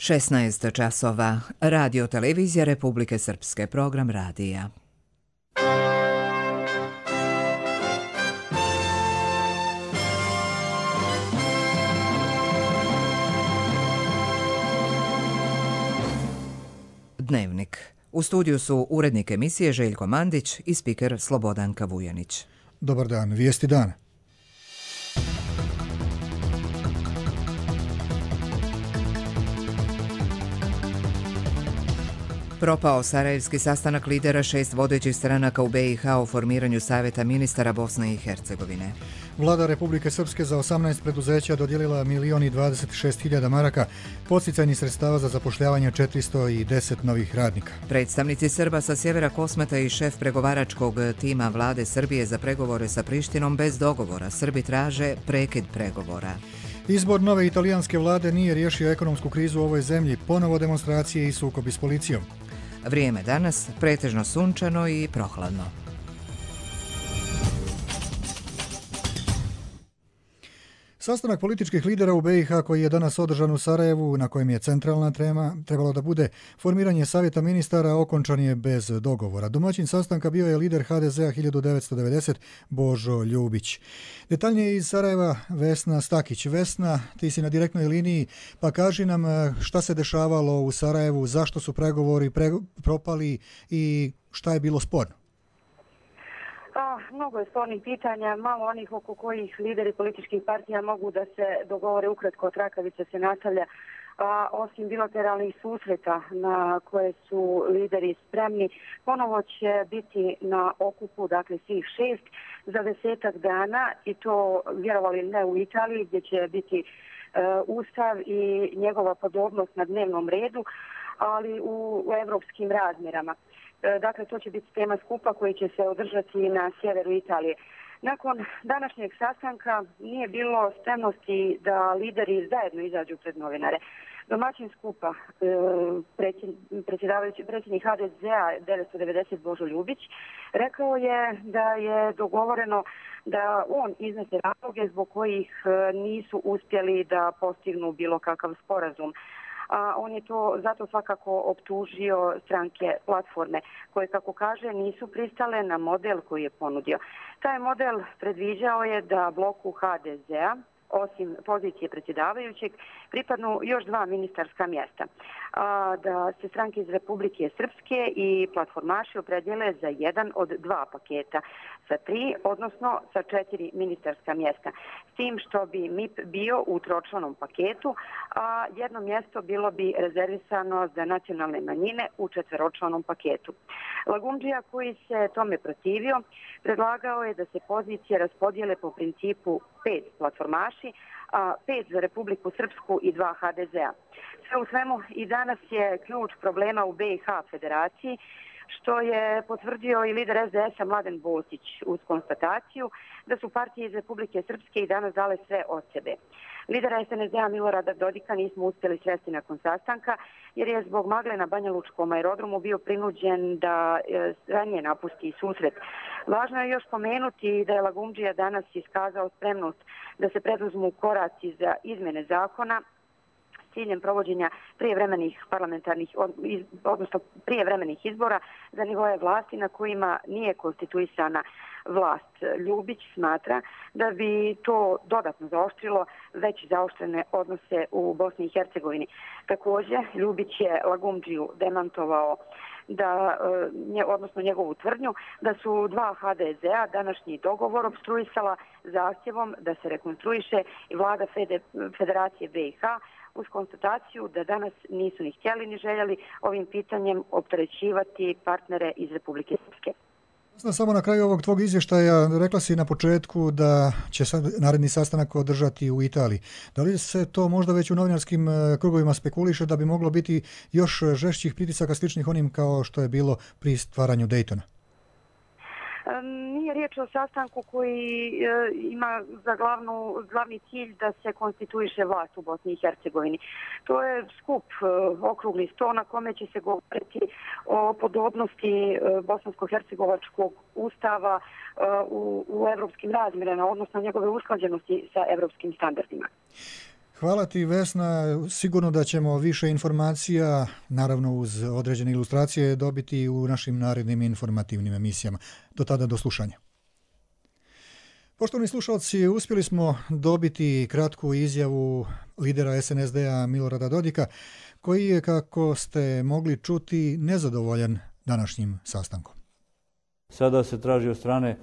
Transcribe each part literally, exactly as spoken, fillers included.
šesnaest časova. Radio televizija Republike Srpske, program radija. Dnevnik. U studiju su urednik emisije Željko Mandić i spiker Slobodanka Vujanić. Dobar dan, vijesti dana. Propao sarajevski sastanak lidera šest vodećih stranaka u be i ha o formiranju Savjeta ministara Bosne i Hercegovine. Vlada Republike Srpske za osamnaest preduzeća dodijelila milion i dvadeset šest hiljada maraka, podsticajnih sredstava za zapošljavanje četiristo deset novih radnika. Predstavnici Srba sa sjevera Kosmeta i šef pregovaračkog tima vlade Srbije za pregovore sa Prištinom bez dogovora. Srbi traže prekid pregovora. Izbor nove italijanske vlade nije riješio ekonomsku krizu u ovoj zemlji, ponovo demonstracije i sukobi s policijom. Vrijeme danas pretežno sunčano i prohladno. Sastanak političkih lidera u be i ha koji je danas održan u Sarajevu, na kojem je centralna tema trebalo da bude formiranje Savjeta ministara, okončan je bez dogovora. Domaćin sastanka bio je lider ha de ze a hiljadu devetsto devedeset Božo Ljubić. Detaljnije iz Sarajeva Vesna Stakić. Vesna, ti si na direktnoj liniji, pa kaži nam šta se dešavalo u Sarajevu, zašto su pregovori pre, propali i šta je bilo sporno. A, mnogo je spornih pitanja, malo onih oko kojih lideri političkih partija mogu da se dogovore. Ukratko, trakavica se nastavlja. A, osim bilateralnih susreta na koje su lideri spremni, ponovo će biti na okupu, dakle svih šest, za desetak dana, i to vjerovali ne u Italiji, gdje će biti e, Ustav i njegova podobnost na dnevnom redu, ali u, u evropskim razmjerama. Dakle, to će biti tema skupa koji će se održati na sjeveru Italije. Nakon današnjeg sastanka nije bilo spremnosti da lideri zajedno izađu pred novinare. Domaćin skupa, predsjedavajući predsjednik ha de ze a devetsto devedeset Božo Ljubić, rekao je da je dogovoreno da on iznese razloge zbog kojih nisu uspjeli da postignu bilo kakav sporazum. A on je to zato svakako optužio stranke platforme koje, kako kaže, nisu pristale na model koji je ponudio. Taj model predviđao je da bloku ha de ze a, osim pozicije predsjedavajućeg, pripadnu još dva ministarska mjesta. A, da se stranke iz Republike Srpske i platformaši opredjele za jedan od dva paketa, sa tri, odnosno sa četiri ministarska mjesta. S tim što bi em i pe bio u tročlanom paketu, a jedno mjesto bilo bi rezervisano za nacionalne manjine u četveročlanom paketu. Lagumdžija, koji se tome protivio, predlagao je da se pozicije raspodijele po principu pet platformaši, a pet za Republiku Srpsku i dva ha de ze a. Sve u svemu, i danas je ključ problema u be i ha federaciji, što je potvrdio i lider es de es a Mladen Bosić uz konstataciju da su partije iz Republike Srpske i danas dale sve od sebe. Lidera es en es de a Milorada Dodika nismo uspjeli sresti nakon sastanka, jer je zbog magle na Banja Lučkom aerodromu bio prinuđen da ranije napusti susret. Važno je još pomenuti da je Lagumdžija danas iskazao spremnost da se preduzmu koraci za izmjene zakona s ciljem provođenja prijevremenih parlamentarnih, odnosno prijevremenih izbora za nivoje vlasti na kojima nije konstituisana vlast. Ljubić smatra da bi to dodatno zaoštrilo već zaoštrene odnose u Bosni i Hercegovini. Također, Ljubić je Lagumdžiju demantovao da, odnosno njegovu tvrdnju, da su dva ha de ze a današnji dogovor obstruisala zahtjevom da se rekonstruiše i vlada Federacije be i ha, uz konstataciju da danas nisu ni htjeli ni željeli ovim pitanjem opterećivati partnere iz Republike Srpske. Samo na kraju ovog tvog izvještaja rekla si na početku da će sad naredni sastanak održati u Italiji. Da li se to možda već u novinarskim krugovima spekuliše da bi moglo biti još žešćih pritisaka sličnih onim kao što je bilo pri stvaranju Daytona? Nije riječ o sastanku koji ima za glavnu, glavni cilj da se konstituiše vlast u Bosni i Hercegovini. To je skup, okrugli sto na kome će se govoriti o podobnosti bosansko-hercegovačkog ustava u, u evropskim razmjerima, odnosno njegove usklađenosti sa evropskim standardima. Hvala ti, Vesna. Sigurno da ćemo više informacija, naravno uz određene ilustracije, dobiti u našim narednim informativnim emisijama. Do tada, do slušanja. Poštovani slušalci, uspjeli smo dobiti kratku izjavu lidera es en es de-a Milorada Dodika, koji je, kako ste mogli čuti, nezadovoljan današnjim sastankom. Sada se traži od strane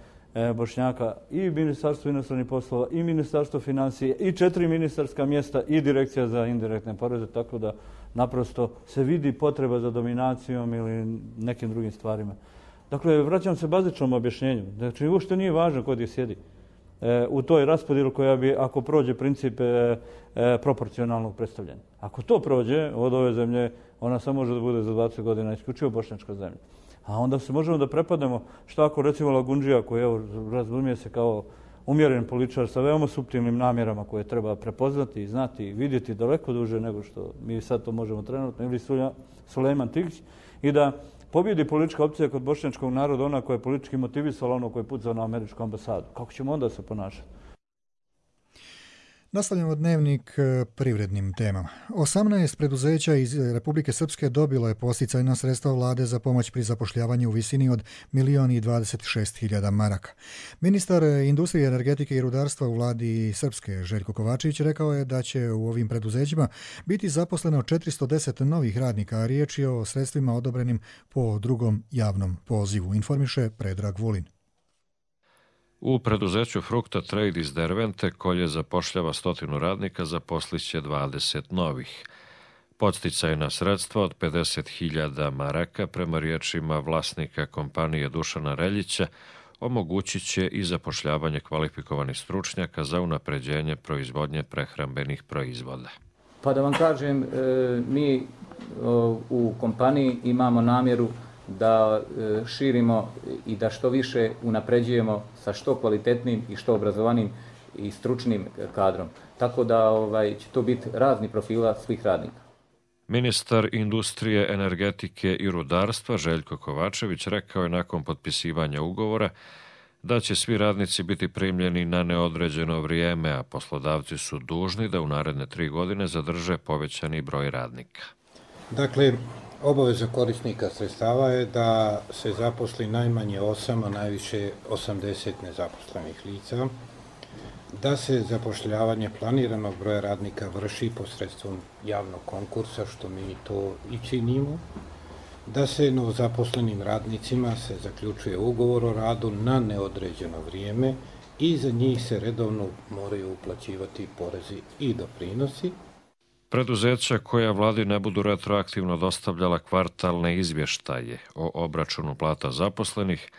Bošnjaka i Ministarstvo inostranih poslova i Ministarstvo financije i četiri ministarska mjesta i Direkcija za indirektne poreze, tako da naprosto se vidi potreba za dominacijom ili nekim drugim stvarima. Dakle, vraćam se bazičnom objašnjenju. Znači, uopšte nije važno kod je sjedi u toj raspodjelu koja bi, ako prođe princip proporcionalnog predstavljanja. Ako to prođe od ove zemlje, ona samo može da bude za dvadeset godina isključivo bošnjačka zemlja. A onda se možemo da prepadnemo šta ako recimo Lagundžija, koji evo, razumije se kao umjeren političar sa veoma suptilnim namjerama koje treba prepoznati, znati i vidjeti daleko duže nego što mi sad to možemo trenutno, ili Sulejman Tikić, i da pobjedi politička opcija kod bošnjačkog naroda, ona koja je politički motivisala, ono koje je pucao na američku ambasadu. Kako ćemo onda se ponašati? Nastavljamo dnevnik privrednim temama. osamnaest preduzeća iz Republike Srpske dobilo je posticajna sredstva vlade za pomoć pri zapošljavanju u visini od milion i dvadeset šest hiljada maraka. Ministar industrije, energetike i rudarstva u vladi Srpske, Željko Kovačević, rekao je da će u ovim preduzećima biti zaposleno četiristo deset novih radnika, a riječ je o sredstvima odobrenim po drugom javnom pozivu, informiše Predrag Vulin. U preduzeću Frukta Trade iz Dervente, koje zapošljava stotinu radnika, zaposliće dvadeset novih. Podsticajna sredstva od pedeset hiljada maraka, prema riječima vlasnika kompanije Dušana Reljića, omogućit će i zapošljavanje kvalifikovanih stručnjaka za unapređenje proizvodnje prehrambenih proizvoda. Pa da vam kažem, mi u kompaniji imamo namjeru da širimo i da što više unapređujemo sa što kvalitetnim i što obrazovanim i stručnim kadrom. Tako da ovaj, će to biti razni profila svih radnika. Ministar industrije, energetike i rudarstva Željko Kovačević rekao je nakon potpisivanja ugovora da će svi radnici biti primljeni na neodređeno vrijeme, a poslodavci su dužni da u naredne tri godine zadrže povećani broj radnika. Dakle, obaveza korisnika sredstava je da se zaposli najmanje osam, a najviše osamdeset nezaposlenih lica, da se zapošljavanje planiranog broja radnika vrši posredstvom javnog konkursa, što mi to i činimo, da se novozaposlenim radnicima se zaključuje ugovor o radu na neodređeno vrijeme i za njih se redovno moraju uplaćivati porezi i doprinosi. Preduzeća koja vladi ne budu retroaktivno dostavljala kvartalne izvještaje o obračunu plata zaposlenih,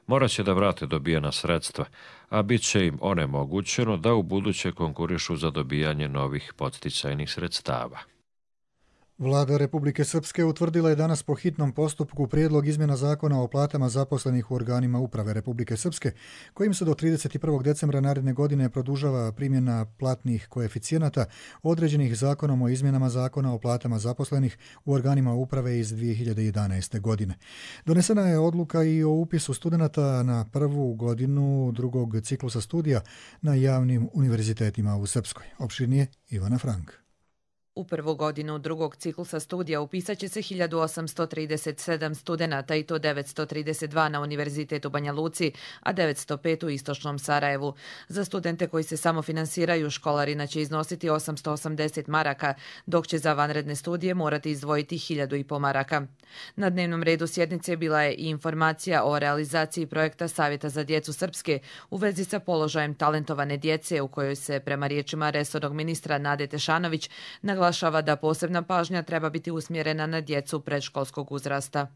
morat će da vrate dobijena sredstva, a bit će im onemogućeno da u buduće konkurišu za dobijanje novih podsticajnih sredstava. Vlada Republike Srpske utvrdila je danas po hitnom postupku prijedlog izmjena zakona o platama zaposlenih u organima uprave Republike Srpske, kojim se do trideset prvog decembra naredne godine produžava primjena platnih koeficijenata određenih zakonom o izmjenama zakona o platama zaposlenih u organima uprave iz dvije hiljade jedanaeste. godine. Donesena je odluka i o upisu studenata na prvu godinu drugog ciklusa studija na javnim univerzitetima u Srpskoj. Opširnije Ivana Frank. U prvu godinu drugog ciklusa studija upisat će se hiljadu osamsto trideset sedam studenata i to devetsto trideset dva na Univerzitetu Banja Luci, a devetsto pet u Istočnom Sarajevu. Za studente koji se samofinansiraju školarina će iznositi osamsto osamdeset maraka, dok će za vanredne studije morati izdvojiti hiljadu i po maraka. Na dnevnom redu sjednice bila je i informacija o realizaciji projekta Savjeta za djecu Srpske u vezi sa položajem talentovane djece, u kojoj se, prema riječima resornog ministra Nade Tešanović, naglašava da posebna pažnja treba biti usmjerena na djecu predškolskog uzrasta.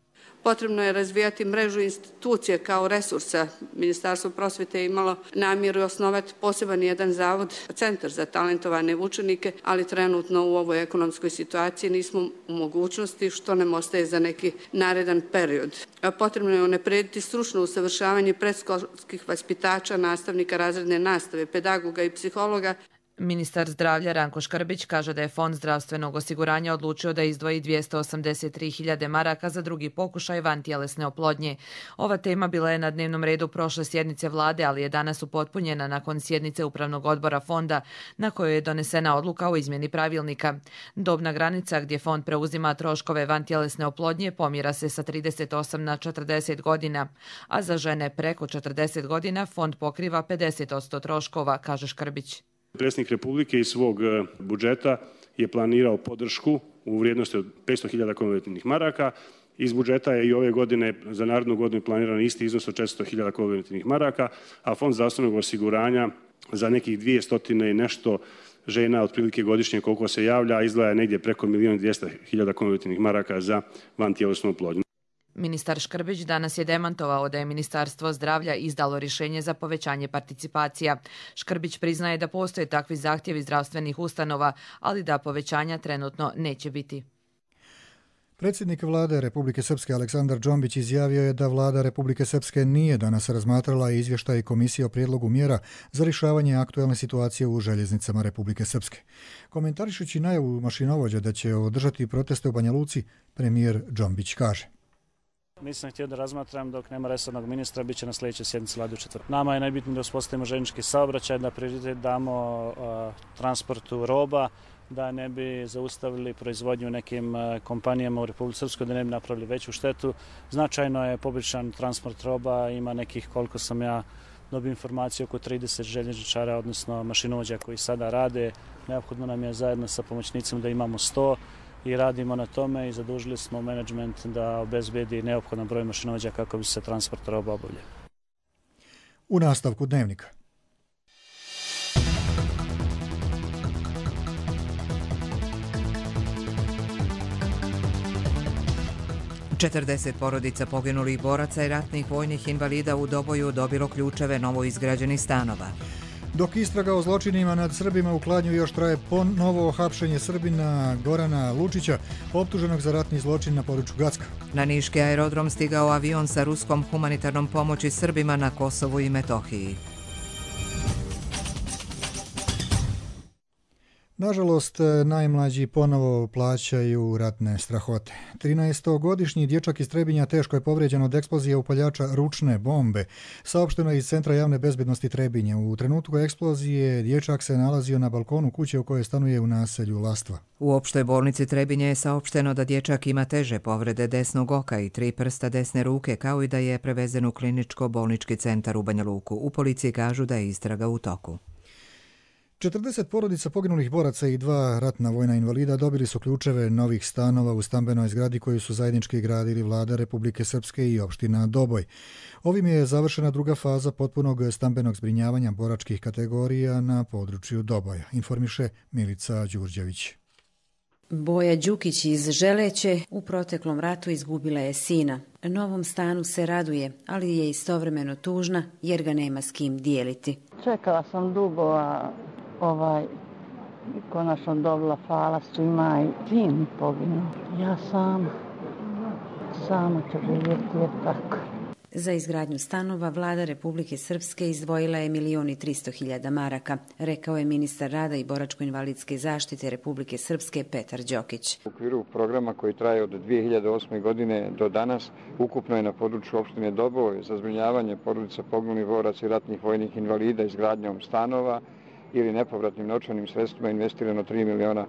Potrebno je razvijati mrežu institucije kao resursa. Ministarstvo prosvjete je imalo namjeru osnovati poseban jedan zavod, centar za talentovane učenike, ali trenutno u ovoj ekonomskoj situaciji nismo u mogućnosti, što nam ostaje za neki naredan period. Potrebno je unaprediti stručno usavršavanje predškolskih vaspitača, nastavnika razredne nastave, pedagoga i psihologa. Ministar zdravlja Ranko Škrbić kaže da je Fond zdravstvenog osiguranja odlučio da izdvoji dvjesto osamdeset tri hiljade maraka za drugi pokušaj vantjelesne oplodnje. Ova tema bila je na dnevnom redu prošle sjednice vlade, ali je danas upotpunjena nakon sjednice Upravnog odbora fonda na kojoj je donesena odluka o izmjeni pravilnika. Dobna granica gdje fond preuzima troškove vantjelesne oplodnje pomjera se sa trideset osam na četrdeset godina, a za žene preko četrdeset godina fond pokriva pedeset posto troškova, kaže Škrbić. Predsjednik Republike iz svog budžeta je planirao podršku u vrijednosti od petsto hiljada konvertibilnih maraka. Iz budžeta je i ove godine za narednu godinu planiran isti iznos od četiristo hiljada konvertibilnih maraka, a Fond zdravstvenog osiguranja za nekih dvjesto i nešto žena otprilike godišnje koliko se javlja, izdvaja negdje preko milijun i dvjesto hiljada konvertibilnih maraka za vantjelesnu oplodnju. Ministar Škrbić danas je demantovao da je Ministarstvo zdravlja izdalo rješenje za povećanje participacija. Škrbić priznaje da postoje takvi zahtjevi zdravstvenih ustanova, ali da povećanja trenutno neće biti. Predsjednik vlade Republike Srpske Aleksandar Džombić izjavio je da vlada Republike Srpske nije danas razmatrala izvještaj komisije o prijedlogu mjera za rješavanje aktualne situacije u željeznicama Republike Srpske. Komentarišući najavu mašinovođa da će održati proteste u Banja Luci, premijer Džombić kaže: Nisam htio da razmatram dok nema resornog ministra, bit će na sljedećoj sjednici vlade u četvrtak. Nama je najbitnije da uspostavimo željeznički saobraćaj, da prioritet damo uh, transportu roba, da ne bi zaustavili proizvodnju nekim uh, kompanijama u Republici Srpskoj, da ne bi napravili veću štetu. Značajno je poboljšan transport roba, ima nekih, koliko sam ja dobio informaciju, oko trideset željezničara, odnosno mašinovođa koji sada rade. Neophodno nam je zajedno sa pomoćnicima da imamo sto. I radimo na tome i zadužili smo menadžment da obezbedi neophodan broj mašinovođa kako bi se transport roba obavljao. U nastavku dnevnika. četrdeset porodica poginulih boraca i ratnih vojnih invalida u Doboju dobilo ključeve novoizgrađenih stanova. Dok istraga o zločinima nad Srbima u Kladnju još traje ponovo hapšenje Srbina Gorana Lučića, optuženog za ratni zločin na području Gacka. Na niški aerodrom stigao avion sa ruskom humanitarnom pomoći Srbima na Kosovu i Metohiji. Nažalost, najmlađi ponovo plaćaju ratne strahote. trinaestogodišnji dječak iz Trebinja teško je povrijeđen od eksplozije upaljača ručne bombe. Saopšteno je iz Centra javne bezbednosti Trebinja. U trenutku eksplozije dječak se nalazio na balkonu kuće u kojoj stanuje u naselju Lastva. U opštoj bolnici Trebinje je saopšteno da dječak ima teže povrede desnog oka i tri prsta desne ruke, kao i da je prevezen u kliničko-bolnički centar u Banja Luku. U policiji kažu da je istraga u toku. četrdeset porodica poginulih boraca i dva ratna vojna invalida dobili su ključeve novih stanova u stambenoj zgradi koju su zajednički gradili vlada Republike Srpske i opština Doboj. Ovim je završena druga faza potpunog stambenog zbrinjavanja boračkih kategorija na području Doboja, informiše Milica Đurđević. Boja Đukić iz Želeće u proteklom ratu izgubila je sina. Novom stanu se raduje, ali je istovremeno tužna jer ga nema s kim dijeliti. Čekala sam dugo, a ovaj, konačno dobila, hvala svima i sin poginuo. Ja sama, sama ću živjeti jer tako. Za izgradnju stanova vlada Republike Srpske izdvojila je milion i tristo hiljada maraka, rekao je ministar rada i boračko-invalidske zaštite Republike Srpske Petar Đokić. U okviru programa koji traje od dvije hiljade osme. godine do danas, ukupno je na području opštine Doboj za zbrinjavanje porodica poginulih boraca i ratnih vojnih invalida izgradnjom stanova ili nepovratnim novčanim sredstvima investirano tri miliona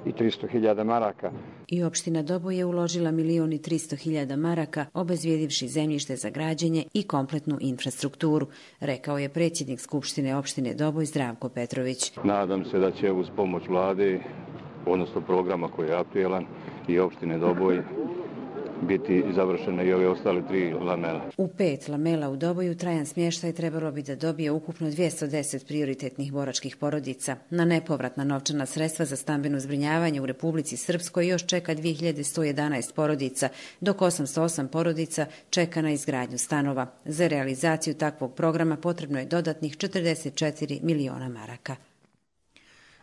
i tristo hiljada maraka. I opština Doboj je uložila milion i tristo hiljada maraka, obezvijedivši zemljište za građenje i kompletnu infrastrukturu, rekao je predsjednik Skupštine opštine Doboj Zdravko Petrović. Nadam se da će uz pomoć vlade, odnosno programa koji je aktuelan, i opštine Doboj biti završene i ove ostale tri lamela. U pet lamela u Doboju trajan smještaj trebalo bi da dobije ukupno dvjesto deset prioritetnih boračkih porodica. Na nepovratna novčana sredstva za stambeno zbrinjavanje u Republici Srpskoj još čeka dvije hiljade sto jedanaest porodica, dok osamsto osam porodica čeka na izgradnju stanova. Za realizaciju takvog programa potrebno je dodatnih četrdeset četiri miliona maraka.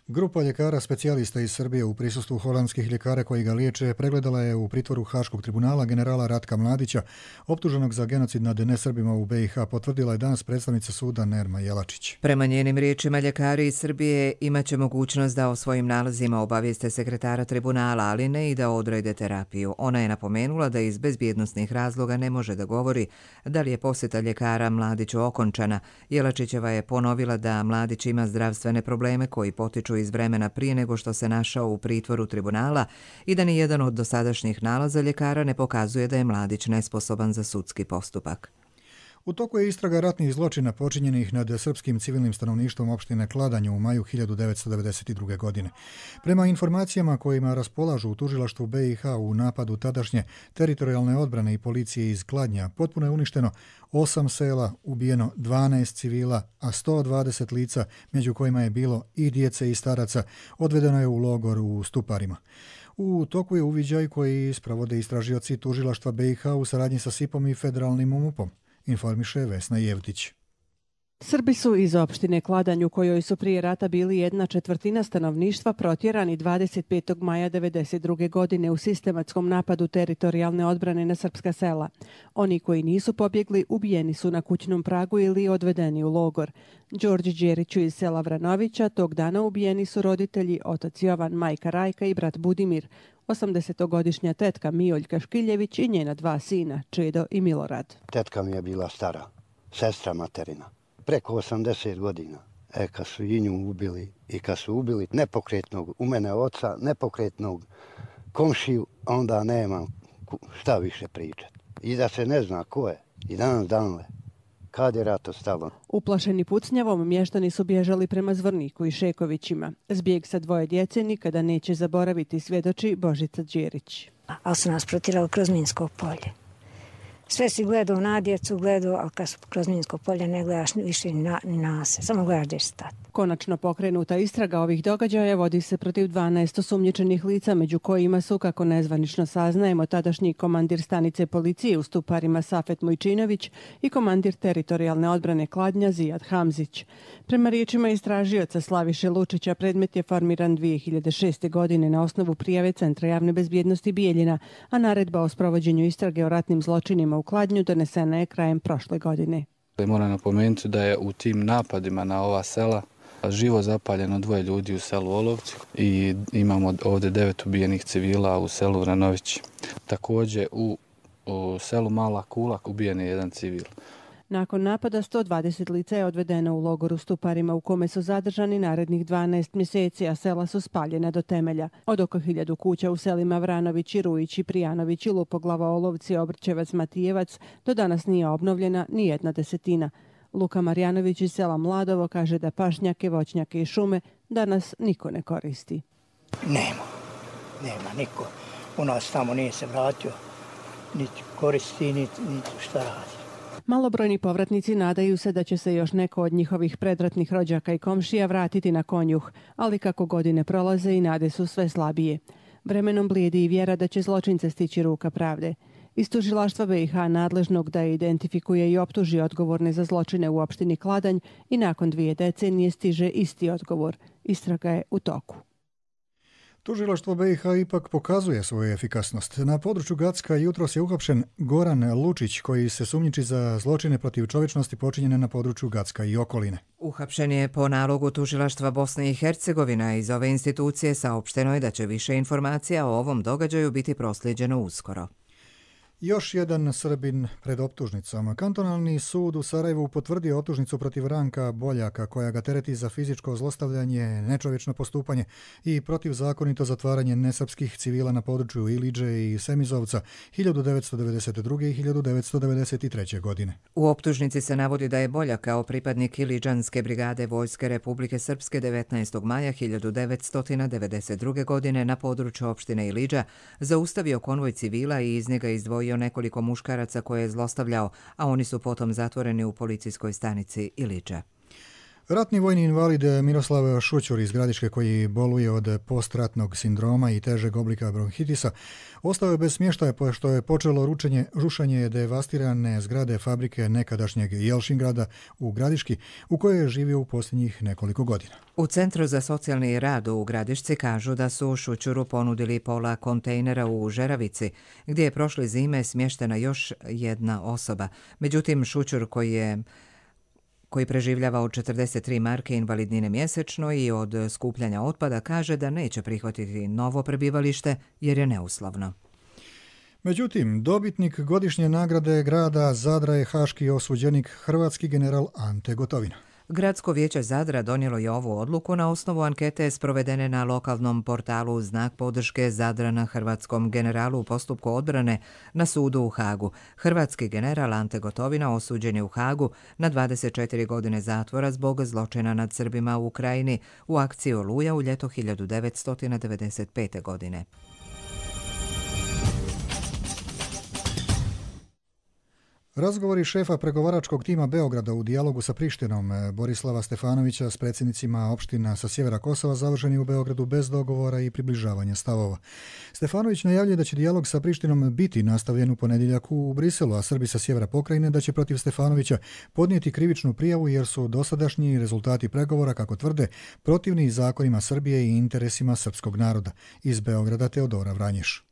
Grupa ljekara specijalista iz Srbije u prisustvu holandskih ljekara koji ga liječe pregledala je u pritvoru Haškog tribunala generala Ratka Mladića, optuženog za genocid nad nesrbima u be i ha, potvrdila je danas predstavnica suda Nerma Jelačić. Prema njenim riječima, ljekari iz Srbije imaće mogućnost da o svojim nalazima obavijeste sekretara tribunala, ali ne i da odrede terapiju. Ona je napomenula da iz bezbjednosnih razloga ne može da govori da li je posjeta ljekara Mladiću okončana. Jelačićeva je ponovila da Mladić ima zdravstvene probleme koji potiču iz vremena prije nego što se našao u pritvoru tribunala i da ni jedan od dosadašnjih nalaza ljekara ne pokazuje da je Mladić nesposoban za sudski postupak. U toku je istraga ratnih zločina počinjenih nad srpskim civilnim stanovništvom opštine Kladanj u maju hiljadu devetsto devedeset druge. godine. Prema informacijama kojima raspolažu u tužilaštvu be i ha u napadu tadašnje teritorijalne odbrane i policije iz Kladnja, potpuno je uništeno osam sela, ubijeno dvanaest civila, a sto dvadeset lica, među kojima je bilo i djece i staraca, odvedeno je u logor u Stuparima. U toku je uviđaj koji sprovode istražioci tužilaštva be i ha u saradnji sa sipom i federalnim umupom, informiše Vesna Jevtić. Srbi su iz opštine Kladanj, u kojoj su prije rata bili jedna četvrtina stanovništva, protjerani dvadeset petog maja devedeset druge. godine u sistematskom napadu teritorijalne odbrane na srpska sela. Oni koji nisu pobjegli ubijeni su na kućnom pragu ili odvedeni u logor. Đorđe Đeriću iz sela Vranovića tog dana ubijeni su roditelji, otac Jovan, majka Rajka i brat Budimir, osamdesetogodišnja tetka Mijoljka Škiljević i njena dva sina, Čedo i Milorad. Tetka mi je bila stara, sestra materina, preko osamdeset godina. E, kad su i nju ubili i kad su ubili nepokretnog, u mene oca, nepokretnog komšiju, onda nemam šta više pričati. I da se ne zna ko je, i danas danle, kad je rato stalo. Uplašeni pucnjavom, mještani su bježali prema Zvorniku i Šekovićima. Zbjeg sa dvoje djece nikada neće zaboraviti, svjedoči Božica Đerić. Ali su nas protirali kroz Minsko polje. Sve si gledao na djecu, gledao, ali kad su kroz Minsko polje ne gledaš više ni na, ni na se, samo gledaš gdje stati. Konačno pokrenuta istraga ovih događaja vodi se protiv dvanaest osumnjičenih lica, među kojima su, kako nezvanično saznajemo, tadašnji komandir stanice policije u Stuparima Safet Mujčinović i komandir teritorijalne odbrane Kladnja Zijad Hamzić. Prema riječima istražioca Slaviše Lučića, predmet je formiran dvije hiljade šeste. godine na osnovu prijave Centra javne bezbjednosti Bijeljina, a naredba o sprovođenju istrage o ratnim zločinima u Kladnju donesena je krajem prošle godine. Moram napomenuti da je u tim napadima na ova sela živo zapaljeno dvoje ljudi u selu Olovci i imamo ovdje devet ubijenih civila u selu Vranović. Također u, u selu Mala Kulak ubijen je jedan civil. Nakon napada sto dvadeset lica je odvedeno u logoru Stuparima u kome su zadržani narednih dvanaest mjeseci, a sela su spaljena do temelja. Od oko hiljadu kuća u selima Vranović, Rujić, Prijanović, Lupoglava, Olovci, Obrčevac, Matijevac do danas nije obnovljena ni jedna desetina. Luka Marjanović iz sela Mladovo kaže da pašnjake, voćnjake i šume danas niko ne koristi. Nema, nema niko. U nas tamo nije se vratio, niti koristi, niti, niti šta radi. Malobrojni povratnici nadaju se da će se još neko od njihovih predratnih rođaka i komšija vratiti na Konjuh, ali kako godine prolaze i nade su sve slabije. Vremenom blijedi i vjera da će zločince stići ruka pravde. Iz tužilaštva be i ha nadležnog da je identifikuje i optuži odgovorne za zločine u opštini Kladanj i nakon dvije decenije stiže isti odgovor. Istraga je u toku. Tužilaštvo be i ha ipak pokazuje svoju efikasnost. Na području Gacka jutros je uhapšen Goran Lučić, koji se sumnjiči za zločine protiv čovječnosti počinjene na području Gacka i okoline. Uhapšen je po nalogu tužilaštva Bosne i Hercegovina. Iz ove institucije saopšteno je da će više informacija o ovom događaju biti proslijeđeno uskoro. Još jedan Srbin pred optužnicom. Kantonalni sud u Sarajevu potvrdio optužnicu protiv Ranka Boljaka, koja ga tereti za fizičko zlostavljanje, nečovječno postupanje i protivzakonito zatvaranje nesrpskih civila na području Iliđe i Semizovca hiljadu devetsto devedeset druge. i hiljadu devetsto devedeset treće. godine. U optužnici se navodi da je Boljak kao pripadnik Iliđanske brigade Vojske Republike Srpske devetnaestog maja hiljadu devetsto devedeset druge. godine na području opštine Iliđa zaustavio konvoj civila i iz njega izdvojio nekoliko muškaraca koje je zlostavljao, a oni su potom zatvoreni u policijskoj stanici Iliđa. Ratni vojni invalid Miroslav Šućur iz Gradiške, koji boluje od postratnog sindroma i težeg oblika bronhitisa, ostao je bez smještaja pošto je počelo ručenje, rušenje devastirane zgrade fabrike nekadašnjeg Jelšingrada u Gradiški, u kojoj je živio u posljednjih nekoliko godina. U Centru za socijalni rad u Gradišci kažu da su Šućuru ponudili pola kontejnera u Žeravici, gdje je prošle zime smještena još jedna osoba. Međutim, Šućur, koji je koji preživljava od četrdeset tri marke invalidnine mjesečno i od skupljanja otpada, kaže da neće prihvatiti novo prebivalište jer je neuslovno. Međutim, dobitnik godišnje nagrade grada Zadra je haški osuđenik, hrvatski general Ante Gotovina. Gradsko vijeće Zadra donijelo je ovu odluku na osnovu ankete sprovedene na lokalnom portalu Znak podrške Zadrana hrvatskom generalu u postupku odbrane na sudu u Hagu. Hrvatski general Ante Gotovina osuđen je u Hagu na dvadeset četiri godine zatvora zbog zločina nad Srbima u Ukrajini u akciji Oluja u ljeto hiljadu devetsto devedeset pete. godine. Razgovori šefa pregovaračkog tima Beograda u dijalogu sa Prištinom Borislava Stefanovića s predsjednicima opština sa sjevera Kosova završeni u Beogradu bez dogovora i približavanja stavova. Stefanović najavljuje da će dijalog sa Prištinom biti nastavljen u ponedjeljak u Briselu, a Srbi sa sjevera pokrajine da će protiv Stefanovića podnijeti krivičnu prijavu jer su dosadašnji rezultati pregovora, kako tvrde, protivni zakonima Srbije i interesima srpskog naroda. Iz Beograda Teodora Vranješ.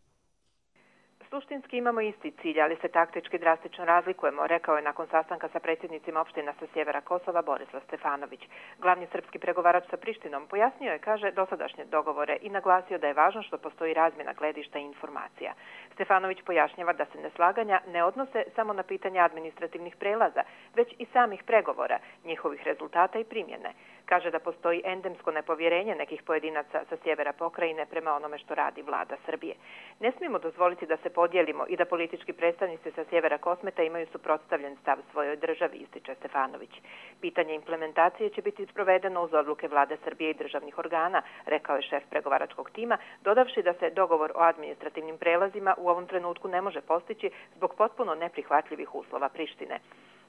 Suštinski imamo isti cilj, ali se taktički drastično razlikujemo, rekao je nakon sastanka sa predsjednicima opština sa sjevera Kosova Borislav Stefanović. Glavni srpski pregovarač sa Prištinom pojasnio je, kaže, dosadašnje dogovore i naglasio da je važno što postoji razmjena gledišta i informacija. Stefanović pojašnjava da se neslaganja ne odnose samo na pitanje administrativnih prelaza, već i samih pregovora, njihovih rezultata i primjene. Kaže da postoji endemsko nepovjerenje nekih pojedinaca sa sjevera pokrajine prema onome što radi vlada Srbije. Ne smijemo dozvoliti da se podijelimo i da politički predstavnici sa sjevera Kosmeta imaju suprotstavljen stav svojoj državi, ističe Stefanović. Pitanje implementacije će biti sprovedeno uz odluke vlade Srbije i državnih organa, rekao je šef pregovaračkog tima, dodavši da se dogovor o administrativnim prelazima u ovom trenutku ne može postići zbog potpuno neprihvatljivih uslova Prištine.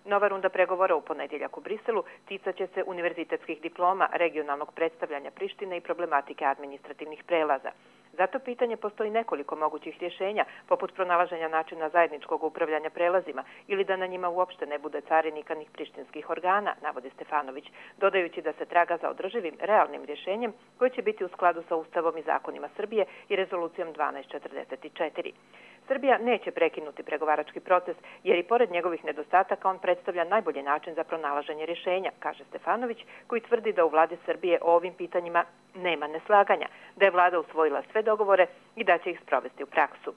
Nova runda pregovora u ponedjeljak u Briselu ticat će se univerzitetskih diploma, regionalnog predstavljanja Prištine i problematike administrativnih prelaza. Zato pitanje postoji nekoliko mogućih rješenja, poput pronalaženja načina zajedničkog upravljanja prelazima ili da na njima uopšte ne bude carinika ni prištinskih organa, navodi Stefanović, dodajući da se traga za održivim, realnim rješenjem koji će biti u skladu sa Ustavom i zakonima Srbije i rezolucijom dvanaest četrdeset četiri. Srbija neće prekinuti pregovarački proces jer i pored njegovih nedostataka on predstavlja najbolji način za pronalaženje rješenja, kaže Stefanović, koji tvrdi da u vladi Srbije o ovim pitanjima nema neslaganja, da je vlada usvojila sve dogovore i da će ih sprovesti u praksu.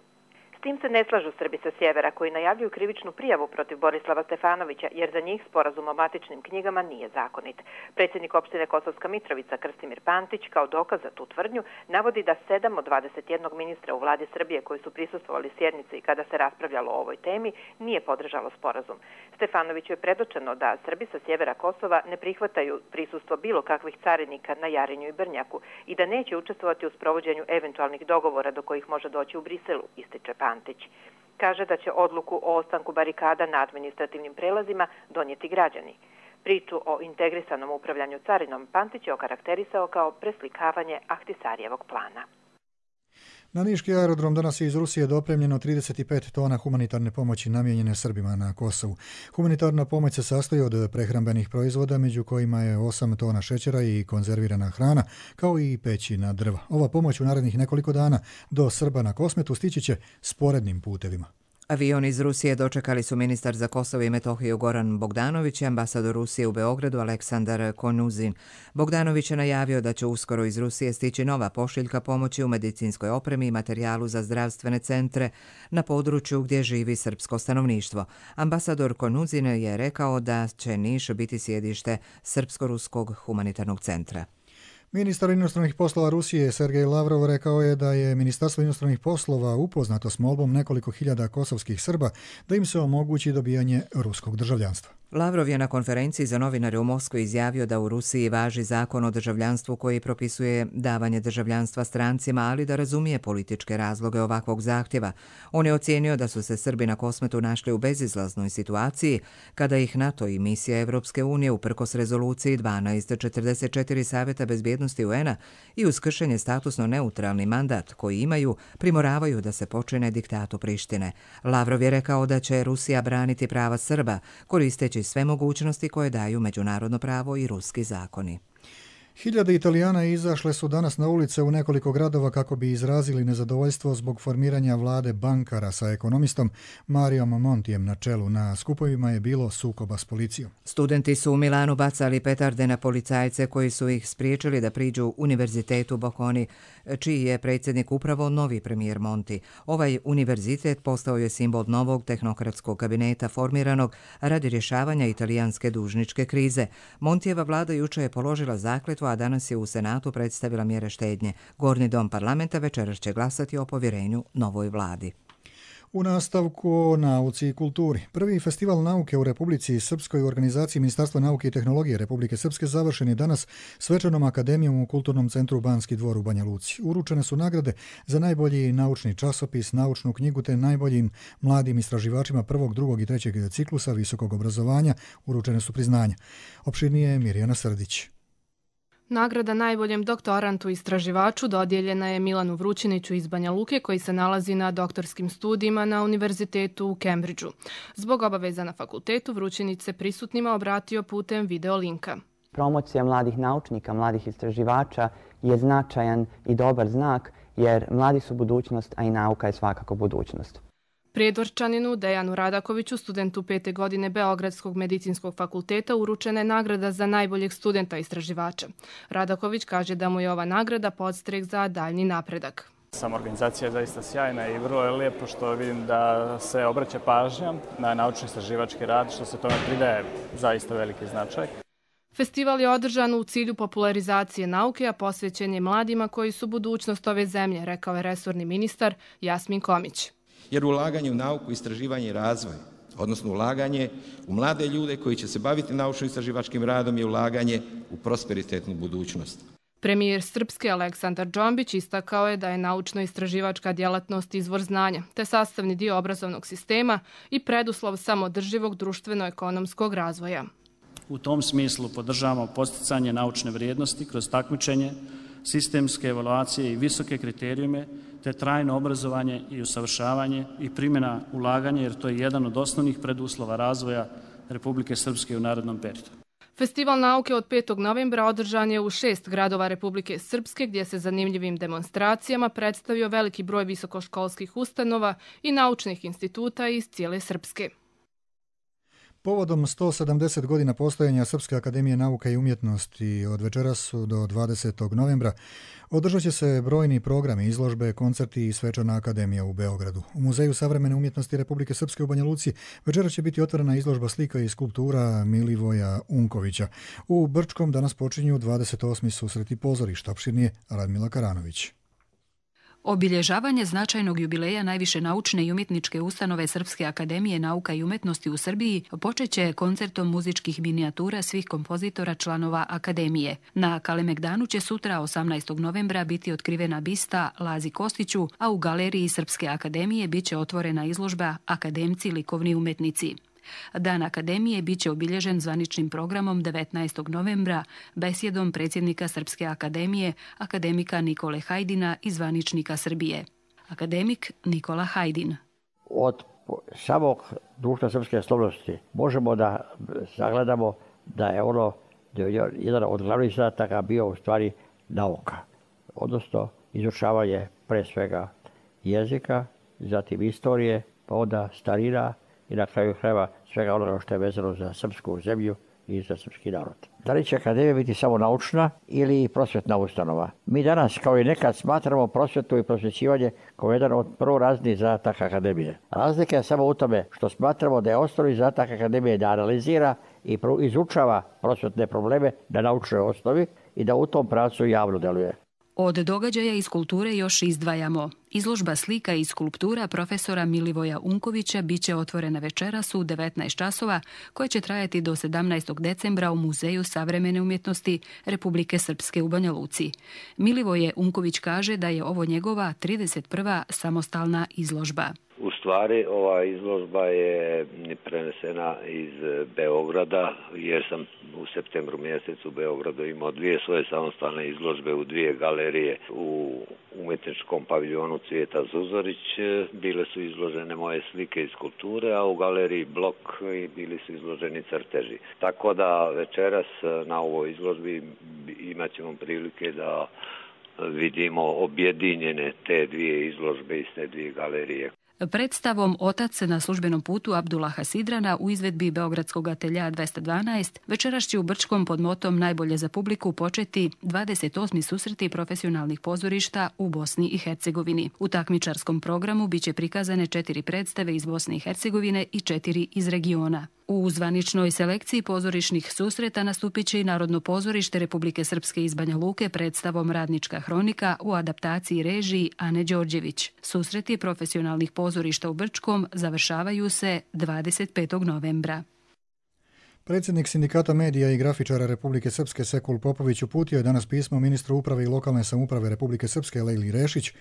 S tim se ne slažu Srbi sa sjevera koji najavljuju krivičnu prijavu protiv Borislava Stefanovića jer za njih sporazum o matičnim knjigama nije zakonit. Predsjednik opštine Kosovska Mitrovica Krstimir Pantić kao dokaz za tu tvrdnju navodi da sedam od dvadeset jednog ministra u vladi Srbije koji su prisustvovali sjednici kada se raspravljalo o ovoj temi nije podržalo sporazum. Stefanoviću je predočeno da Srbi sa sjevera Kosova ne prihvataju prisustvo bilo kakvih carinika na Jarinju i Brnjaku i da neće učestvovati u sprovođenju eventualnih dogovora do kojih može doći u Briselu, ističe Pantić. Kaže da će odluku o ostanku barikada na administrativnim prelazima donijeti građani. Priču o integrisanom upravljanju carinom Pantić je okarakterisao kao preslikavanje Ahtisarijevog plana. Na niški aerodrom danas je iz Rusije dopremljeno trideset pet tona humanitarne pomoći namijenjene Srbima na Kosovu. Humanitarna pomoć se sastoji od prehrambenih proizvoda, među kojima je osam tona šećera i konzervirana hrana, kao i pećina drva. Ova pomoć u narednih nekoliko dana do Srba na Kosmetu stići će sporednim putevima. Avion iz Rusije dočekali su ministar za Kosovo i Metohiju Goran Bogdanović i ambasador Rusije u Beogradu Aleksandar Konuzin. Bogdanović je najavio da će uskoro iz Rusije stići nova pošiljka pomoći u medicinskoj opremi i materijalu za zdravstvene centre na području gdje živi srpsko stanovništvo. Ambasador Konuzin je rekao da će Niš biti sjedište Srpsko-ruskog humanitarnog centra. Ministar inostranih poslova Rusije Sergej Lavrov rekao je da je Ministarstvo inostranih poslova upoznato s molbom nekoliko hiljada kosovskih Srba da im se omogući dobijanje ruskog državljanstva. Lavrov je na konferenciji za novinare u Moskvi izjavio da u Rusiji važi zakon o državljanstvu koji propisuje davanje državljanstva strancima, ali da razumije političke razloge ovakvog zahtjeva. On je ocijenio da su se Srbi na Kosmetu našli u bezizlaznoj situaciji kada ih NATO i misija Evropske unije uprkos rezoluciji dvanaest četrdeset četiri Savjeta bezbjednosti U N-a i uz kršenje statusno neutralni mandat koji imaju primoravaju da se počine diktatu Prištine. Lavrov je rekao da će Rusija braniti prava Srba koristeći sve mogućnosti koje daju međunarodno pravo i ruski zakoni. Hiljade Italijana izašle su danas na ulice u nekoliko gradova kako bi izrazili nezadovoljstvo zbog formiranja vlade bankara sa ekonomistom Marijom Montijem na čelu. Na skupovima je bilo sukoba s policijom. Studenti su u Milanu bacali petarde na policajce koji su ih spriječili da priđu Univerzitetu Bocconi, čiji je predsjednik upravo novi premijer Monti. Ovaj univerzitet postao je simbol novog tehnokratskog kabineta formiranog radi rješavanja italijanske dužničke krize. Montijeva vlada juče je položila zakletvu, a danas je u Senatu predstavila mjere štednje. Gornji dom parlamenta večeras će glasati o povjerenju novoj vladi. U nastavku o nauci i kulturi. Prvi festival nauke u Republici Srpskoj u organizaciji Ministarstva nauke i tehnologije Republike Srpske završen je danas svečanom akademijom u Kulturnom centru Banski dvor u Banja Luci. Uručene su nagrade za najbolji naučni časopis, naučnu knjigu te najboljim mladim istraživačima prvog, drugog i trećeg ciklusa visokog obrazovanja. Uručene su priznanja. Opširnije je Mirjana Srdić. Nagrada najboljem doktorantu istraživaču dodijeljena je Milanu Vrućiniću iz Banja Luke koji se nalazi na doktorskim studijima na Univerzitetu u Cambridgeu. Zbog obaveza na fakultetu Vrućinić se prisutnima obratio putem videolinka. Promocija mladih naučnika, mladih istraživača je značajan i dobar znak jer mladi su budućnost, a i nauka je svakako budućnost. Prijedvorčaninu Dejanu Radakoviću, studentu pete godine Beogradskog medicinskog fakulteta, uručena je nagrada za najboljeg studenta istraživača. Radaković kaže da mu je ova nagrada podstrek za daljnji napredak. Sama organizacija je zaista sjajna i vrlo je lijepo što vidim da se obraća pažnja na naučno-istraživački rad, što se tome pridaje zaista veliki značaj. Festival je održan u cilju popularizacije nauke, a posvećen je mladima koji su budućnost ove zemlje, rekao je resorni ministar Jasmin Komić. Jer ulaganje u nauku, istraživanje i razvoj, odnosno ulaganje u mlade ljude koji će se baviti naučno-istraživačkim radom je ulaganje u prosperitetnu budućnost. Premijer Srpske Aleksandar Džombić istakao je da je naučno-istraživačka djelatnost izvor znanja, te sastavni dio obrazovnog sistema i preduslov samodrživog društveno-ekonomskog razvoja. U tom smislu podržavamo posticanje naučne vrijednosti kroz takmičenje, sistemske evaluacije i visoke kriterijume, te trajno obrazovanje i usavršavanje i primjena ulaganja, jer to je jedan od osnovnih preduslova razvoja Republike Srpske u narednom periodu. Festival nauke od petog novembra održan je u šest gradova Republike Srpske, gdje se zanimljivim demonstracijama predstavio veliki broj visokoškolskih ustanova i naučnih instituta iz cijele Srpske. Povodom sto sedamdeset godina postojanja Srpske akademije nauka i umjetnosti od večeras do dvadesetog novembra održat će se brojni programi, izložbe, koncerti i svečana akademija u Beogradu. U Muzeju savremene umjetnosti Republike Srpske u Banja Luci večeras će biti otvorena izložba slika i skulptura Milivoja Unkovića. U Brčkom danas počinju dvadeset osmi susreti pozorišta. Opširnije Radmila Karanović. Obilježavanje značajnog jubileja najviše naučne i umjetničke ustanove Srpske akademije nauka i umjetnosti u Srbiji počeće koncertom muzičkih minijatura svih kompozitora članova akademije. Na Kalemegdanu će sutra osamnaestog novembra biti otkrivena bista Lazi Kostiću, a u galeriji Srpske akademije biće otvorena izložba Akademci likovni umjetnici. Dan akademije biće obilježen zvaničnim programom devetnaestog novembra besjedom predsjednika Srpske akademije, akademika Nikole Hajdina i zvaničnika Srbije. Akademik Nikola Hajdin. Od samog društva srpske slobodnosti možemo da zagledamo da je ono jedan od glavnih zadataka bio u stvari nauka, odnosno izučavanje pre svega jezika, zatim istorije, pa onda starina, i na kraju krajeva svega onoga što je vezano za srpsku zemlju i za srpski narod. Da li će akademija biti samo naučna ili prosvjetna ustanova? Mi danas, kao i nekad, smatramo prosvjetu i prosvjećivanje kao jedan od prvorazrednih zadataka akademije. Razlika je samo u tome što smatramo da je osnovni zadatak akademije da analizira i izučava prosvjetne probleme na naučnoj osnovi i da u tom pravcu javno deluje. Od događaja iz kulture još izdvajamo. Izložba slika i skulptura profesora Milivoja Unkovića biće otvorena večeras u devetnaest časova, koja će trajati do sedamnaestog decembra u Muzeju savremene umjetnosti Republike Srpske u Banja Luci. Milivoje Unković kaže da je ovo njegova trideset prva samostalna izložba. U stvari, ova izložba je prenesena iz Beograda, jer sam u septembru mjesecu u Beogradu imao dvije svoje samostalne izložbe u dvije galerije. U umjetničkom paviljonu Cvijeta Zuzorić bile su izložene moje slike i skulpture, a u galeriji Blok bili su izloženi crteži. Tako da večeras na ovoj izložbi imat ćemo prilike da vidimo objedinjene te dvije izložbe iz te dvije galerije. Predstavom Otac na službenom putu Abdullaha Sidrana u izvedbi Beogradskog atelja dvesta dvanaest večeras će u Brčkom pod motom Najbolje za publiku početi dvadeset osmi susreti profesionalnih pozorišta u Bosni i Hercegovini. U takmičarskom programu biće prikazane četiri predstave iz Bosne i Hercegovine i četiri iz regiona. U zvaničnoj selekciji pozorišnih susreta nastupit će i Narodno pozorište Republike Srpske iz Banja Luke predstavom Radnička hronika u adaptaciji režiji Ane Đorđević. Susreti profesionalnih pozorišta u Brčkom završavaju se dvadeset petog novembra. Predsjednik Sindikata medija i grafičara Republike Srpske Sekul Popović uputio je danas pismo ministru uprave i lokalne samouprave Republike Srpske Lejli Rešić,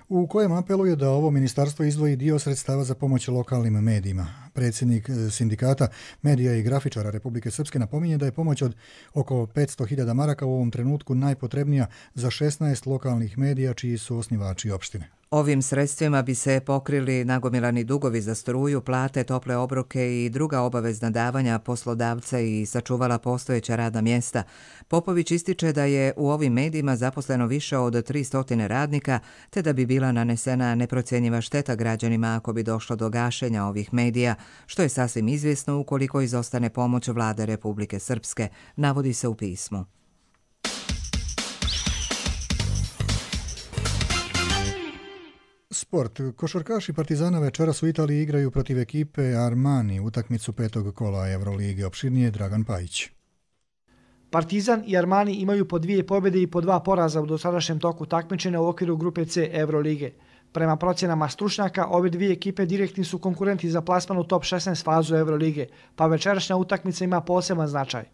u kojem apeluje da ovo ministarstvo izdvoji dio sredstava za pomoć lokalnim medijima. Predsjednik Sindikata medija i grafičara Republike Srpske napominje da je pomoć od oko petsto hiljada maraka u ovom trenutku najpotrebnija za šesnaest lokalnih medija čiji su osnivači opštine. Ovim sredstvima bi se pokrili nagomilani dugovi za struju, plate, tople obroke i druga obavezna davanja poslodavca i sačuvala postojeća radna mjesta. Popović ističe da je u ovim medijima zaposleno više od tristo radnika, te da bi bila nanesena neprocjenjiva šteta građanima ako bi došlo do gašenja ovih medija, što je sasvim izvjesno ukoliko izostane pomoć vlade Republike Srpske, navodi se u pismu. Sport. Košarkaši Partizana večeras u Italiji igraju protiv ekipe Armani utakmicu petog kola Evrolige. Opširnije Dragan Pajić. Partizan i Armani imaju po dvije pobjede i po dva poraza u dosadašnjem toku takmičenja u okviru grupe C Evrolige. Prema procjenama stručnjaka, ove dvije ekipe direktni su konkurenti za plasman u top šesnaest fazu Evrolige, pa večerašnja utakmica ima poseban značaj.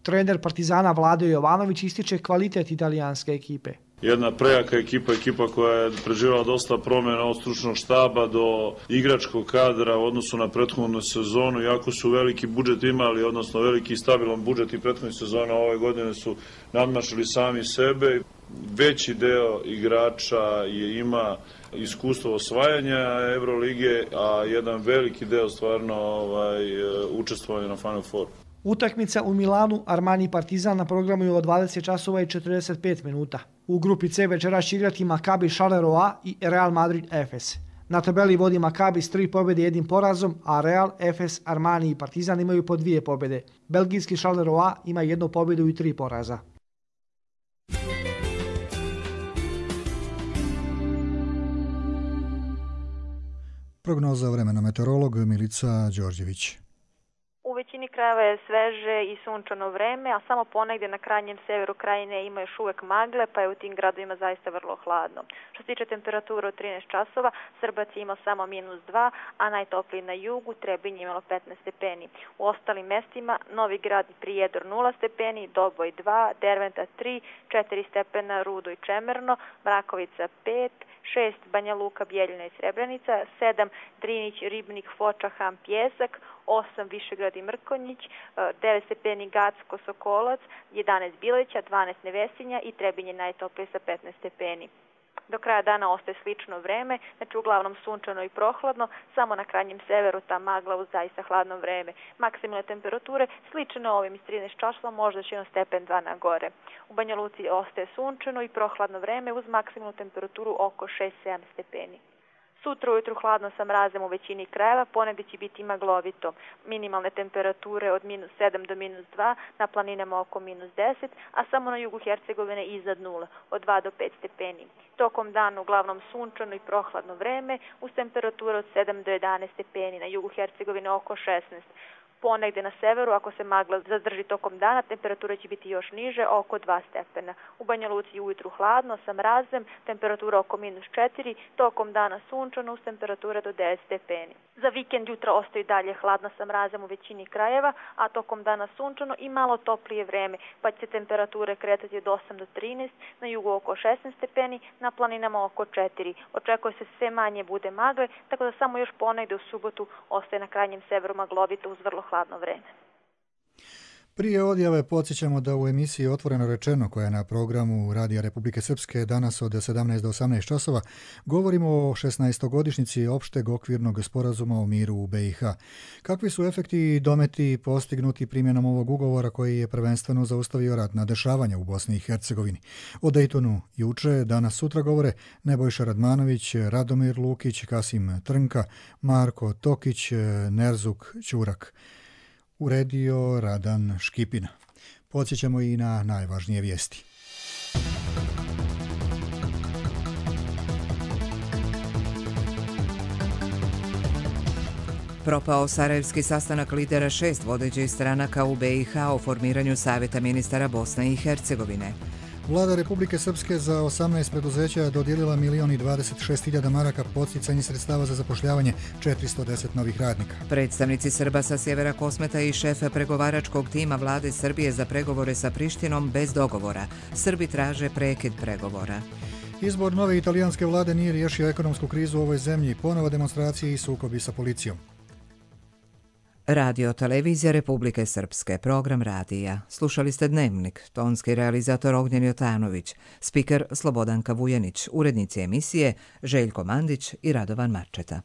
Trener Partizana Vlado Jovanović ističe kvalitet italijanske ekipe. Jedna prejaka ekipa, ekipa koja je preživjela dosta promjena od stručnog štaba do igračkog kadra u odnosu na prethodnu sezonu. Jako su veliki budžet imali, odnosno veliki i stabilan budžet i prethodne sezone ove godine su nadmašili sami sebe. Veći deo igrača je, ima iskustvo osvajanja Evrolige, a jedan veliki deo stvarno ovaj, učestvovanja na Final Four. Utakmica u Milanu Armani Partizan na programu je od dvadeset časova i četrdeset pet minuta. U grupi C večeras će igrati Maccabi Charleroi i Real Madrid Efes. Na tabeli vodi Maccabi s tri pobjede i jednim porazom, a Real, Efes, Armani i Partizan imaju po dvije pobjede. Belgijski Charleroi ima jednu pobjedu i tri poraza. Prognoza vremena meteorolog Milica Đorđević. U većini krajeva je sveže i sunčano vreme, a samo ponegdje na krajnjem severu krajine ima još uvek magle, pa je u tim gradovima zaista vrlo hladno. Što se tiče temperature od trinaest časova, Srbac je imao samo minus dva, a najtopliji na jugu, Trebinje imalo petnaest stepeni. U ostalim mestima Novi Grad i Prijedor nula stepeni, Doboj dva, Derventa tri, četiri stepena Rudo i Čemerno, Mrakovica pet, šest Banja Luka, Bjeljina i Srebrenica, sedam Drinić, Ribnik, Foča, Ham, Pjesak, osam Višegrad i Mrkonjić, devet stepeni Gacko, Sokolac, jedanaest Bileća, dvanaest Nevesinja i Trebinje najtoplije sa petnaest stepeni. Do kraja dana ostaje slično vreme, znači uglavnom sunčano i prohladno, samo na krajnjem severu ta magla uz zaista hladno vreme. Maksimalne temperature slične ovim iz trinaest časova, možda će jedno stepen dva na gore. U Banja Luci ostaje sunčano i prohladno vreme uz maksimalnu temperaturu oko šest sedam stepeni. Sutra ujutru hladno sa mrazem u većini krajeva, ponegdje će biti maglovito. Minimalne temperature od minus sedam do minus dva, na planinama oko minus deset, a samo na jugu Hercegovine iznad nula, od dva do pet stepeni. Tokom dana uglavnom sunčano i prohladno vreme, uz temperature od sedam do jedanaest stepeni, na jugu Hercegovine oko šesnaest. Ponegde na severu, ako se magla zadrži tokom dana, temperatura će biti još niže, oko dva stepena. U Banja Luci ujutru hladno, sa mrazem, temperatura oko minus četiri, tokom dana sunčano uz temperature do deset stepeni. Za vikend jutra ostaje dalje hladno sa mrazem u većini krajeva, a tokom dana sunčano i malo toplije vreme, pa će se temperature kretati od osam do trinaest, na jugu oko šesnaest stepeni, na planinama oko četiri. Očekuje se sve manje bude magle, tako da samo još ponegde u subotu ostaje na krajnjem severu maglovito uz vrlo hladno vreme. Prije odjave podsjećamo da u emisiji Otvoreno rečeno, koja je na programu Radija Republike Srpske danas od sedamnaest do osamnaest časova, govorimo o šesnaestogodišnjici opšteg okvirnog sporazuma o miru u B i H. Kakvi su efekti i dometi postignuti primjenom ovog ugovora koji je prvenstveno zaustavio ratna dešavanja u Bosni i Hercegovini? O Dejtonu juče, danas sutra govore Nebojša Radmanović, Radomir Lukić, Kasim Trnka, Marko Tokić, Nerzuk Ćurak. Uredio Radan Škipina. Podsjećamo i na najvažnije vijesti. Propao sarajevski sastanak lidera šest vodećih stranaka u B i H o formiranju Savjeta ministara Bosne i Hercegovine. Vlada Republike Srpske za osamnaest preduzeća dodijelila milion i dvadeset šest hiljada maraka podsticanje sredstava za zapošljavanje četiristo deset novih radnika. Predstavnici Srba sa sjevera Kosmeta i šefe pregovaračkog tima vlade Srbije za pregovore sa Prištinom bez dogovora. Srbi traže prekid pregovora. Izbor nove italijanske vlade nije riješio ekonomsku krizu u ovoj zemlji, ponova demonstracije i sukobi sa policijom. Radio Televizija Republike Srpske, program radija. Slušali ste Dnevnik, tonski realizator Ognjen Jotanović, spiker Slobodanka Vujanić, urednici emisije Željko Mandić i Radovan Marčeta.